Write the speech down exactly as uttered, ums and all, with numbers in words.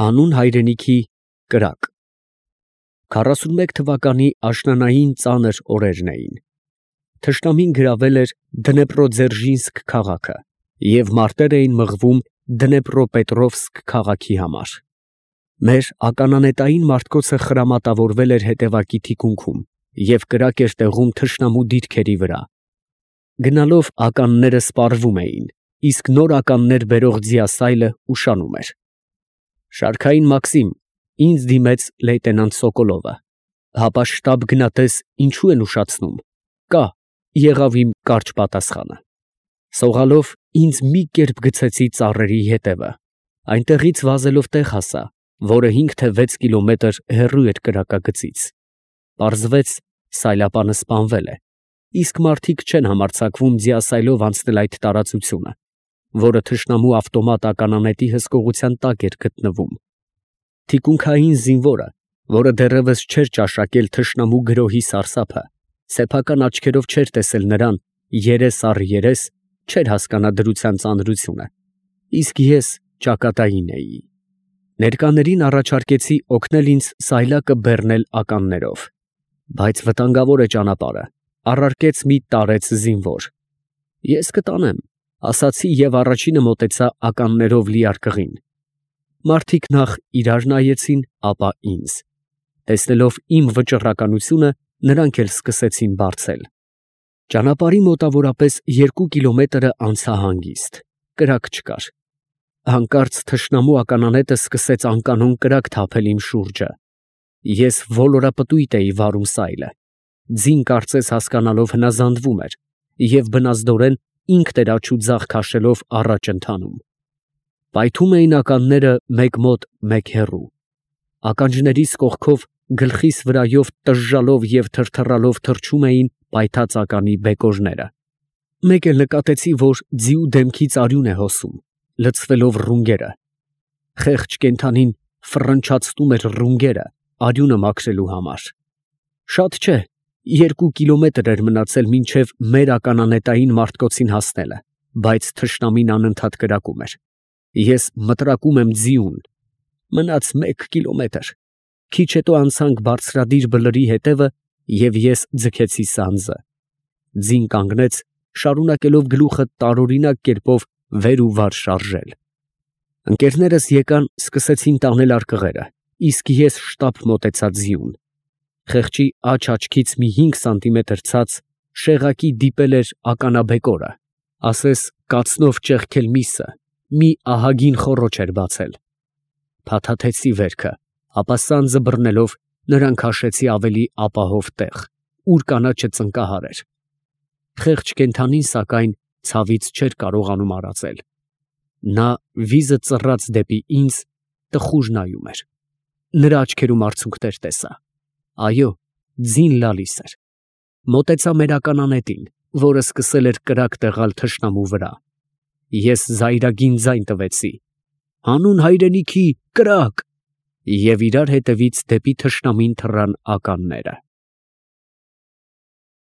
Հանուն հայրենիքի կրակ։ Քառասունմեկ թվականի աշնանային ծանր օրերն էին. թշնամին գրավել էր Դնեպրոդզերժինսկ քաղաքը և մարտեր էին մղվում Դնեպրոպետրովսկ քաղաքի համար։ Մեր ականանետային մարդկոցը խրամատավորվել էր հետևակի թիկունքում և կրակ էր տեղում թշնամու դիրքերի վրա։ Գնալով ականները սպառվում էին, իսկ նոր ականներ բերող ձիասայլը ուշանում էր։ «Շարքային Մաքսիմ, ինձ դիմեց լեյտենանտ Սոկոլովը, հապա շտաբ գնատես ինչո՞ւ են ուշացնում, կա, եղավ իմ կարճ պատասխանը։ Սողալով ինձ մի կերպ գցեցի ծառերի ետևը, այնտեղից վազելով տեղ հասա, որը հինգ թե վեց կիլոմետր հեռու էր կրակագծից։ Պարզվեց, սայլապանը սպանվել է, իսկ մարդիկ չեն համարձակվում ձիասայլով անցնել այդ տարածությունը, որը թշնամու ավտոմատ ականանետի հսկողության տակ էր գտնվում։ Թիկունքային զինվորը, որը դեռևս չէր ճաշակել թշնամու գրոհի սարսափը, սեփական աչքերով չէր տեսել նրան երես առ երես, չէր հասկանա դրության ծանրությունը, իսկ ես ճակատային էի։ Ներկաներին առաջարկեցի օգնել ինձ սայլակը բեռնել ականներով, բայց վտանգավոր է ճանապարհը, առարկեց մի տարեց զինվոր։ Ես կտանեմ, ասացի և առաջինը մոտեցա ականներով լի արկղին։ Մարդիկ նախ իրար նայեցին, ապա ինձ։ Տեսնելով իմ վճռականությունը, նրանք էլ սկսեցին բարձել։ Ճանապարհի մոտավորապես երկու կիլոմետրը անցա հանգիստ, կրակ չկար։ Հանկարծ թշնամու ականանետը սկսեց անկանոն կրակ թափել իմ շուրջը։ Ես ոլորապտույտ էի վարում սայլը։ Ձին կարծես հասկանալով հնազանդվում էր և բնազդորեն ինքն էր աջ ու ձախ քաշելով առաջ ընթանում։ Պայթում էին ականները մեկ մոտ, մեկ հեռու։ Ականջներիս կողքով գլխիս վրայով տժժալով և թրթռալով թռչում էին պայթած ականի բեկորները։ Մեկ էլ նկատեցի, որ ձիու դեմքից արյուն է հոսում, լցվելով ռունգերը։ Խեղճ կենդանին ֆռնչացնում էր ռունգերը արյունը մաքրելու համար։ Շատ չէ, երկու կիլոմետր էր մնացել մինչև մեր ականանետային մարդկոցին հասնելը, բայց թշնամին անընդհատ կրակում էր։ Ես մտրակում եմ ձիուն։ Մնաց մեկ կիլոմետր։ Քիչ հետո անցանք բարձրադիր բլրի հետևը և ես ձգեցի սանձը։ Ձին կանգնեց, շարունակելով գլուխը տարօրինակ կերպով վեր ու վար շարժել։ Ընկերներս եկան, սկսեցին տանել արկղերը, իսկ ես շտապ մոտեցա ձիուն։ Խեղճի աջ աչքից մի հինգ սանտիմետր ցած շեղակի դիպել էր ականաբեկորը, ասես կացնով ճեղքել միսը, մի ահագին խոռոչ էր բացել։ Փաթաթեցի վերքը, ապա սանձը բռնելով նրան քաշեցի ավելի ապահով տեղ, ուր կանաչը ծնկահար էր։ Խեղճ կենդանին, սակայն, ցավից չէր կարողանում արածել։ Նա վիզը ծռած դեպի ինձ տխուր նայում էր։ Նրա աչքերում արցունքներ տեսա։ Այո, ձին լալիս էր։ Մոտեցա մեր ականանետին, որը սկսել էր կրակ տեղալ թշնամու վրա։ Ես զայրագին ձայն տվեցի. «Հանուն հայրենիքի, կրակ», և իրար հետևից դեպի թշնամին թռան ականները։